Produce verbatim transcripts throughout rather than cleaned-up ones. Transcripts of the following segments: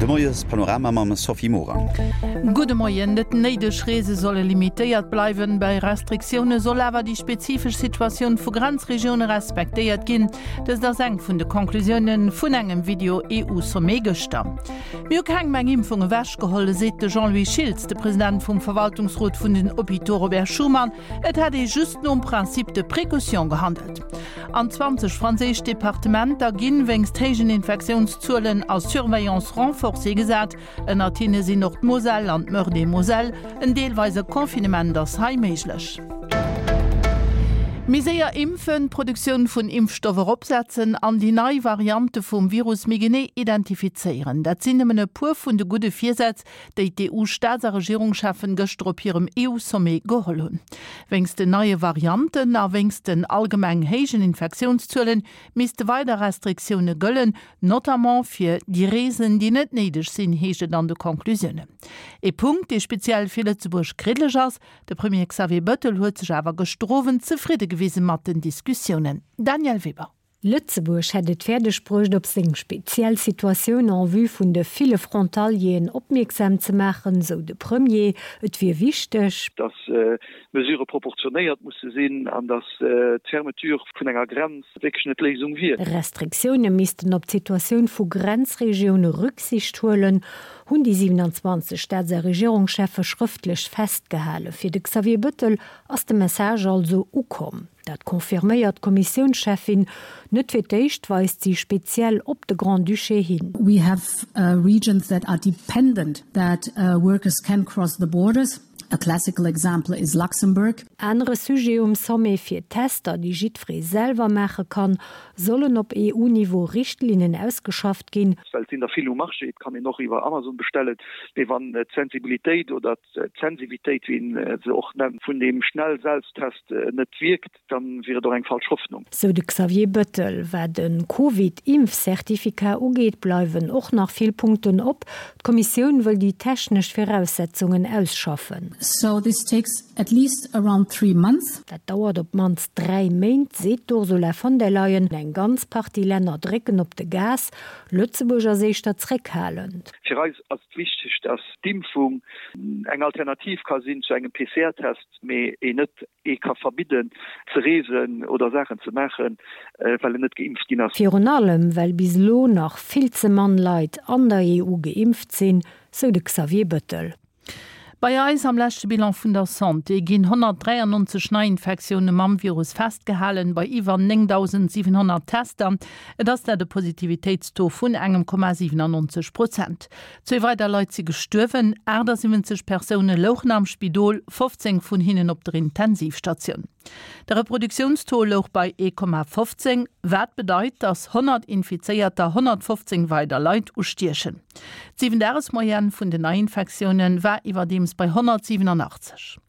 De Moiespanorama mam Sophie Morang. Gudde Moien. Net néideg Reese solle limitéiert bleiwen. Bei Restriktioune soll awer déi spezifesch Situatioun vu Grenzregioune respektéiert ginn. Dëst ass eng vun de Conclusioune vun engem Video-EU-Sommet gëschter. Mir hu kengem eng Impfung ewechgeholl, seet de Jean-Louis Schiltz, de President vum Verwaltungsrot vun den Hôpitaux Robert Schuman. Et hätt ee just nom Principe de précaution gehandelt. An zwanzeg franséisch Departementer ginn wéinst héijen Infektiounszuelen a Surveillance renforcée gesat. Ënnert hinne sinn och d'Moselle an d'Meurthe-et-Moselle. En deelweise Confinement ass hei méiglech. Méi séier impfen, d'Produktioun vun Impfstoff eropsetzen an déi nei Variante vum Virus méi genee identifizéieren, dat sinn nëmmen e puer vun de gudde Virsätz, déi d'EU-Staats a Regierungscheffen gëschter op hirem EU-Sommet geholl hunn. Wéinst den neie Varianten a wéinst den allgemeng héijen Infektiounszuelen misste weider Restriktioune gëllen, notamment fir déi Reesen, déi net néideg sinn, heescht et an de Conclusiounen. Ee Punkt, dee speziell fir Lëtzebuerg kriddeleg ass. De Premier Xavier Bettel huet sech awer gëschter Owend zefridde gewise mat den Diskussiounen. Danièle Weber. Lëtzebuerg hätt et fäerdeg bruecht, op seng speziell Situatioun en vue vun de ville Frontalieren opmierksam ze maachen, sou de Premier. Et wier wichteg. Datt d'Mesurë proportionéiert musse sinn an datt d'Fermeture vun enger Grenz wierklech net d'Léisung wier. Restriktioune missten op d'Situatioun vu Grenzregioune Rücksicht huelen, hunn déi siewenundzwanzeg Staats a Regierungscheffe schrëftlech festgehalen. Fir de Xavier Bettel ass de Message also ukomm. Dat confirméiert d'Kommissiounscheffin. Net fir d'éischt weist si speziell op de Grand-Duché hin. We have regions that are dependent that workers can cross the borders. A classical example is Luxembourg. Anere Sujet um Sommet, Fir Tester, déi jiddweree selwer maache kann, sollen op E U-Niveau Richtlinnen ausgeschafft ginn. Well et sinn der vill um Marché, et kann een och iwwer Amazon bestellen, mee wann d'Sensibilitéit oder d'Sensivitéit, wéi een se och nennt, vun deem Schnell-Selbsttest net wierkt, da wier et och eng falsch Hoffnung. Sou de Xavier Bettel. Wat e Covid-Impfcertificat ugeet, bleiwen och nach vill Punkten op. D'Kommissioun wëll déi technesch Viraussetzungen ausschaffen. So this takes at least around three months. Dat dauert op d'mannst dräi Méint, seet d'Ursula von der Leyen. Eng ganz Partie Länner drécken op de Gas, Lëtzebuerg ass éischter zréckhalend. Fir eis ass et wichteg, dass d'Impfung eng Alternativ ka sinn zu engem P C R Test, mee een net ee ka verbidden ze reesen oder Saachen ze maachen, well en net geimpft ginn ass. Virun allem, well bis elo nach vill ze mann Leit an der E U geimpft sinn, sou de Xavier Bettel. Bei eis am leschte Bilan vun der Santé ginn honnertdräiannonzeg Neiinfektioune mam Virus festgehalen, bei iwwer néngdausendsiwenhonnert Tester. Et ass dat e Positivitéitstaux vun engem Komma siwenannonzeg Prozent. Zwee weider Leit si gestuerwen, aachtasiwwenzeg Persoune louchen am Spidol, fofzéng vun hinnen op der Intensivstatioun. De Reproduktiounstaux louch bei ee Komma fofzéng, wat bedeit, datt honnert Infizéierter honnertfofzéng weider Leit ustiechen. D'Siwen-Dages-Moyenne vun den Neiinfektioune war iwwerdeems bei honnertsiwenanachtzeg.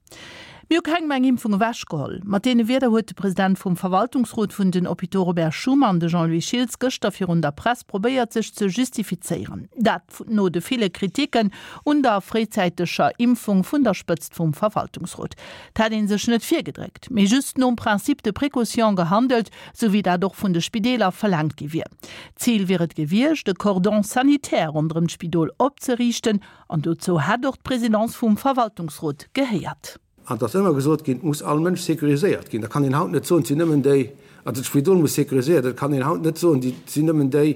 Mir hu kengem eng Impfung ewechgeholl. Mat deene Wierder huet de President vum Verwaltungsrot vun den Hôpitaux Robert Schuman, de Jean-Louis Schiltz, gëschter virun der Press probéiert sech ze justifizéieren. Dat no de ville Kritiken un der fréizäiteger Impfung vun der Spëtzt vum Verwaltungsrot. Et hätt ee sech net virgedréckt, mee just nom Principe de précaution gehandelt, sou wéi dat och vun de Spideeler verlaangt gi wier. Zil wier et gewiescht, e Cordon sanitaire ronderëm d'Spidol opzeriichten, an dozou hätt och d'Presidence vum Verwaltungsrot gehéiert. An et ass ëmmer gesot ginn, et muss all Mënsch sécuriséiert ginn. Da kann een haut net soen, et sinn nëmmen déi, also d'Spidol muss sécuriséiert, et kann een haut net soen, et sinn nëmmen déi,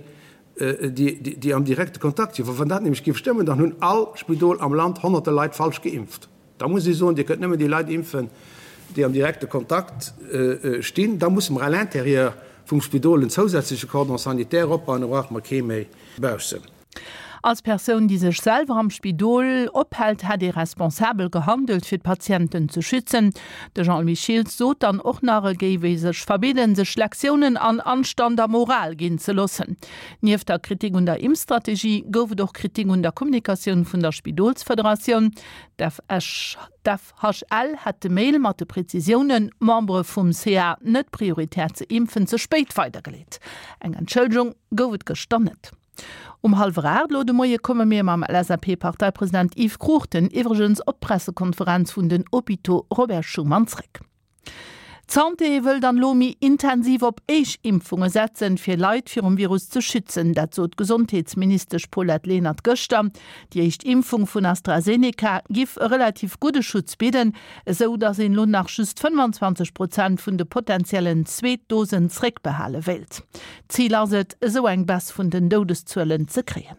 déi am direkte Kontakt sinn. Well wann dat nämlech géif stëmmen, dann hunn all Spidol am Land honnerte Leit falsch geimpft. Da muss ee soen, Dir kënnt nëmmen déi Leit impfen, déi am direkte Kontakt stinn. Da musse mer à l'intérieur vum Spidol en zousätzleche Cordon sanitaire opbauen, da brauche mer kee méi baussen. Als Persoun, déi sech selwer am Spidol ophält, hätt ee responsabel gehandelt, fir d'Patienten ze schützen. De Jean-Louis Schiltz sot dann och nach, e géif ee sech verbidden, sech Lektiounen an Anstand a Moral ginn ze loossen. Nieft der Kritik un der Impfstrategie gouf et och Kritik un der Kommunikatioun vun der Spidolsfederatioun. D'F H L hätt de Mail mat de Prezisiounen, Membere vum C A net prioritär ze impfen, ze spéit weidergeleet. Eng Entschëllegung gouf et gëschter net. Um hallwer aacht elo de Moie komme mir mam L S A P-Parteipresident Yves Cruchten iwwregens op d'Pressekonferenz vun den Hôpitaux Robert Schuman zréck. D'Santé wëll dann elo méi intensiv op Éischimpfunge setzen, fir Leit virum Virus ze schützen. Dat sot d'Gesondheetsministesch Paulette Lenert gëschter. Déi éischt Impfung vun AstraZeneca giff e relativ gudde Schutz bidden, esou datt een elo nach just fënnwanzwanzeg Prozent vun de potentiellen Zweetdosen zréckbehale wéilt. Zil ass et, esou eng Baisse vun den Doudeszuelen ze kréien.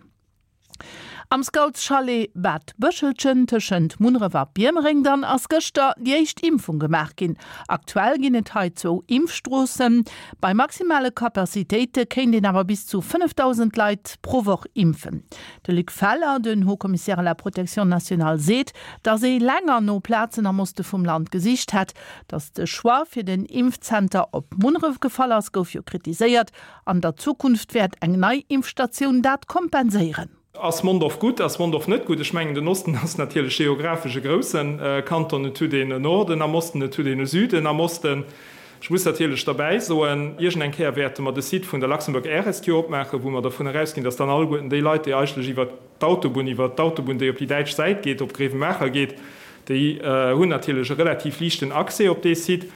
Am Scoutschalet Bad Bëschelchen tëschent Munneref a Biermereng dann ass gëschter déi éischt Impfung gemaach ginn. Aktuell ginn et hei zwou Impfstroossen. Bei maximale Capacitéite kéint een awer bis zu fënnefdausend Leit pro Woch impfen. De Luc Feller, den Haut-Commissaire à la protection nationale seet, datt ee länger no Plazen am Oste vum Land gesicht hätt. Datt de Choix fir den Impfzenter op Munneref gefall ass, gouf jo kritiséiert. An der Zukunft wäert eng nei Impfstatioun dat kompenséieren. Ass Mondorf gutt, ass Mondorf net gutt? Ech mengen, den Osten ass natierlech geographesch e grousse Kanton. Et huet een en Norden am Osten, et huet een e Süden am Osten. Ech muss natierlech derbäi soen, iergend eng Kéier wäerte mer de Site vun der Luxembourg Air Rescue opmaachen, wou mer dervun erausginn, dass dann alleguerten déi Leit, déi eigentlech iwwert d'Autobunn, iwwert d'Autobunn, déi op déi däitsch Säit geet, op Grevenmacher geet, déi hunn natierlech e relativ liichten Accès op dee Site.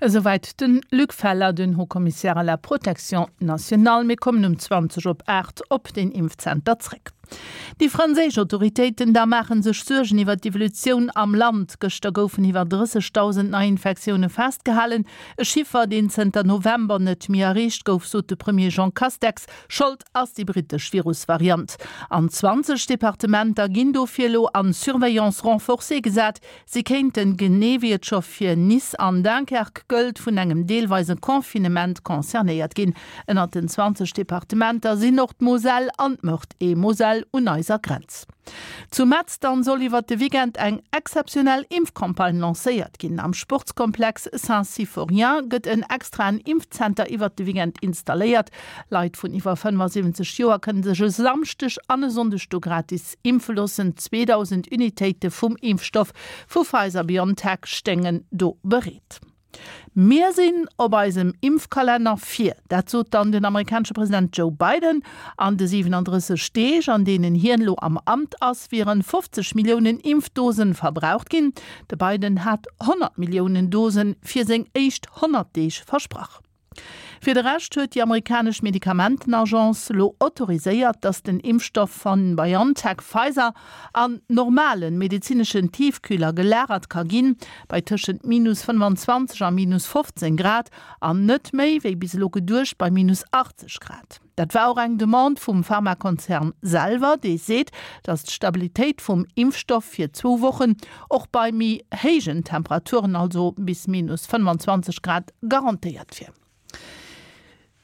Esouwäit de Luc Feller, den Haut-Commissaire à la protection nationale. Mir kommen um zwanzeg op aacht op den Impfzenter zréck. Déi franséisch Autoritéiten da maache sech Suergen iwwer d'Evolutioun am Land. Gëschter goufen iwwer drëssegdausend Neiinfektioune festgehalen, e Chiffer, deen zënter November net méi erreecht gouf, sot de Premier Jean Castex. Schold ass déi brittesch Virusvariant. An zwanzeg Departementer ginn dofir elo an Surveillance renforcée gesat. Si kéinten, genee wéi et scho fir Nice an Dunkerque gëllt, vun engem deelweise Confinement concernéiert ginn. Ënnert den zwanzeg Departementer sinn och d'Moselle an d'Meurthe-et-Moselle un eiser Grenz. Zu Metz dann soll iwwert de Weekend eng exzeptionell Impfcampagne lancéiert ginn. Am Sportskomplex Saint-Symphorien gëtt en extraen Impfzenter iwwert de Weekend installéiert. Leit vun iwwer fënnefasiwwenzeg Joer kënne sech e Samschdeg an e Sonndeg do gratis impfe loossen. zweedausend Unitéite vum Impfstoff vu Pfizer-BioNTech stéingen do bereet. Mir sinn op eisem Impfkalenner vir. Dat sot dann den amerikanesche President Joe Biden. An de siwenandrësseg Deeg, an deenen hien elo am Amt ass, wieren fofzeg Milliounen Impfdosen verbraucht ginn. De Biden hat honnert Milliounen Dosen fir seng éischt honnert Deeg versprach. Fir de Rescht huet déi amerikanesch Medikamentenagence elo autoriséiert, datt den Impfstoff vu BioNTech-Pfizer an normalen medezineschen Tiefkühler gelagert ka ginn, bei tëschent minus fënnwanzwanzeg a minus fofzéng Grad, an net méi, wéi bis elo geduecht, bei minus achtzeg Grad. Dat war och eng Demande vum Pharmakonzern selwer, dee seet, datt d'Stabilitéit vum Impfstoff fir zwou Wochen och bei méi héijen Temperaturen, also bis minus fënnwanzwanzeg Grad, garantéiert wier.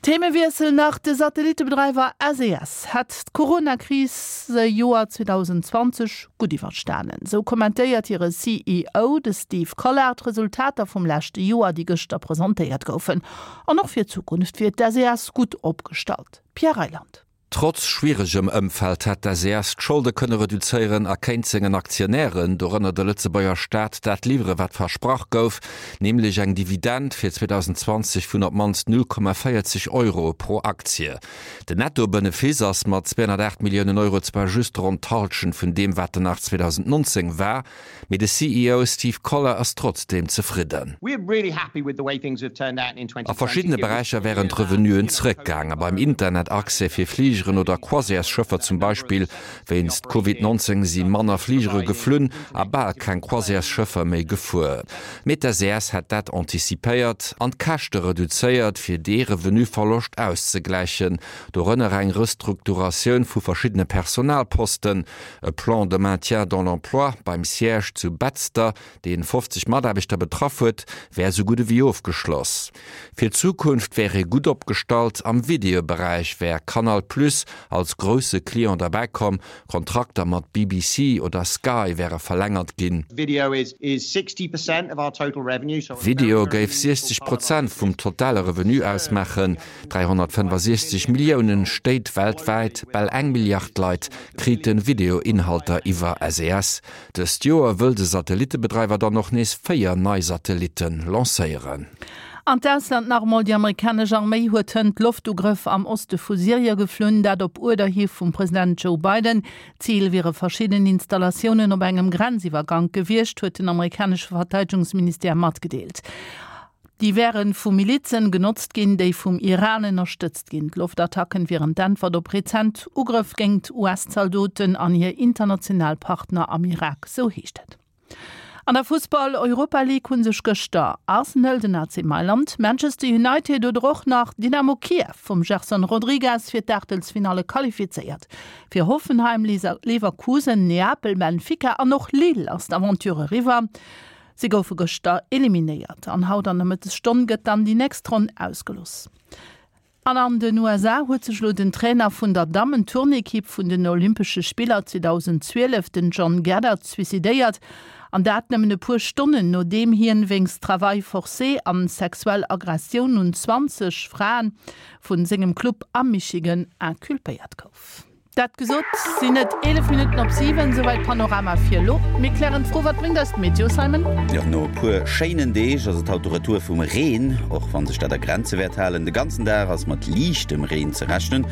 Themewiessel nach, De Satellittebedreiwer S E S hätt d'Corona-Kris-Joer zweedausendzwanzeg gutt iwwerstanen. Sou kommentéiert hire C E O, de Steve Collard, d'Resultater vum leschte Joer, déi gëschter presentéiert goufen. An och fir d'Zukunft wier d'S E S gutt opgestallt. Pierre Reyland. Trotz schwieregem Ëmfeld hätt d'S E S d'Scholde kënne reduzéieren a kéint sengen Aktionären, dorënner de Lëtzebuerger Staat, dat liwwere wat versprach gouf, nämlech eng Dividend fir zweedausendzwanzeg vun op d'mannst null Komma véierzeg Euro pro Aktie. Den Netto-Benefice ass mat zweehonnertaacht Milliounen Euro zwar just ronn d'Hallschent vun deem wat en nach zweedausendnonzéng war, mee de C E O Steve Collar ass trotzdeem zefridden. A verschiddene Beräicher wären d'Revenuen zeréckgaangen, beim Internetaccès fir Fligeren oder Croisièresschëffer zum Beispill. Wéinst Covid nonzéng si manner Fligere geflunn a bal keng Croisièresschëffer méi gefuer. Mee d'S E S hätt dat anticipéiert an d'Käschte reduzéiert, fir dee Revenuverloscht auszegläichen, dorënner eng Restrukturatioun vu verschiddene Personalposten, e Plan de maintien dans l'emploi beim Siège zu Betzder, dee fofzeg Mataarbechter betraff huet, wär sou gutt ewéi ofgeschloss. Fir d'Zukunft wär ee gutt opgestallt, am Videoberäich wär Canal Plus als grousse Client derbäi komm, Kontrakter mat B B C oder Sky wäre verlängert ginn. Video géif siechzeg Prozent vum totale Revenu ausmaachen, dräihonnertfënnefasiechzeg Milliounen Stéit weltwäit, bal eng Milliard Leit krite Videoinhalter iwwer S E S. Dëst Joer wëll de Satellittebedreiwer dann och nees véier nei Satellitte lancéieren. An d'Ausland nach emol, Déi amerikanesch Arméi huet hënt Loftugrëff am Oste vu Syrie geflunn, dat op Uerder hi vum President Joe Biden. Zil wiere verschidden Installatiounen op engem Grenziwwergank gewiescht, huet den amerikanesche Verteidegungsministère matgedeelt. Déi wäre vu Milizen genotzt ginn, déi vum Iran ënnerstëtzt ginn. D'Loftattacken wieren d'Äntwert op rezent Ugrëff géint US-Zaldoten an hir international Partner am Irak, sou heescht et. An der Fussball-Europa League hu sech gëschter Arsenal, den A C Mailand, Manchester United oder och nach Dynamo Kiew vum Gerson Rodrigues fir d'Aachtelsfinalle qualifizéiert. Fir Hoffenheim, Leverkusen, Neapel, Benfica an och Lille ass d'Aventure eriwwer. Si goufe gëschter eliminéiert an haut an der Mëttesstonn gëtt dann déi nächst Ronn ausgelost. An an den U S A huet sech lo den Trainer vun der Dammen-Turnekipp vun den Olympesche Spiller zweedausenzwielef, den John Geddert, suicidéiert, an dat nëmmen e puer Stonnen nodeem hien wéinst Travail forcé an sexuell Aggressioun un zwanzeg Fraen vun sengem Club am Michigan inculpéiert gouf. Dat gesot, sinn et eelef Minutten op siwen, souwäit Panorama fir elo. Mir klären d'Fro, Wat bréngt eis d'Meteo, Simon? Jo, no e puer schéinen Deeg ass et haut de Retour vum Reen, och wa sech dat a Grenze wäert halen. De ganzen Dag ass mat liichtem Reen ze rechnen,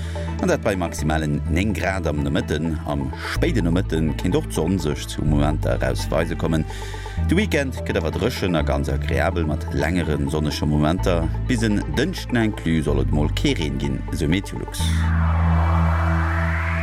an dat bei maximalen néng Grad am Nomëtten. Am spéiden Nomëtte kéint och d'Sonn sech zu Momenter erausweise kommen. De Weekend gëtt awer dréchen a ganz agreabel mat längere sonnege Momenter. Bis en Dënschden inclus soll et mol kee Reen ginn, esou Meteolux.